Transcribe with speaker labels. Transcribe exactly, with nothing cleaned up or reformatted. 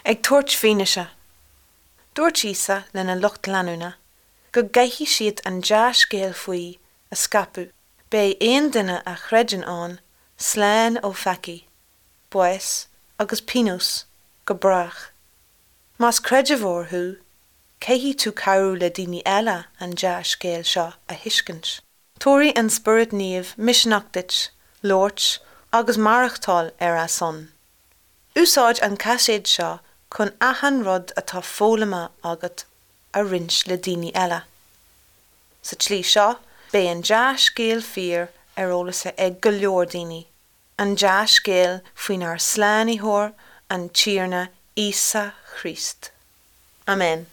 Speaker 1: Ag tabhairt fianaise. Dúirt Íosa lena lucht leanúna go gcaithfidh siad an dea-scéal faoi a scaipeadh. Beidh aon duine a chreideann ann slán ó pheacaí, bás agus pionós go brách. Más creidiúnóir thú, caithfidh tú cabhrú le daoine eile an dea-scéal seo a thuiscint. Tabharfaidh an Spiorad Naomh misneach duit, labhairt agus maireachtáil ar a son. Úsáid an caiséad seo chun achan rud atá foghlamtha agat a roinnt le daoine eile. Sa tslí seo, beidh an dea-scéal fíor ar eolas ag go leor daoine. An dea-scéal faoinár Slánaitheoir an Tiarna Íosa Chríost. Amen.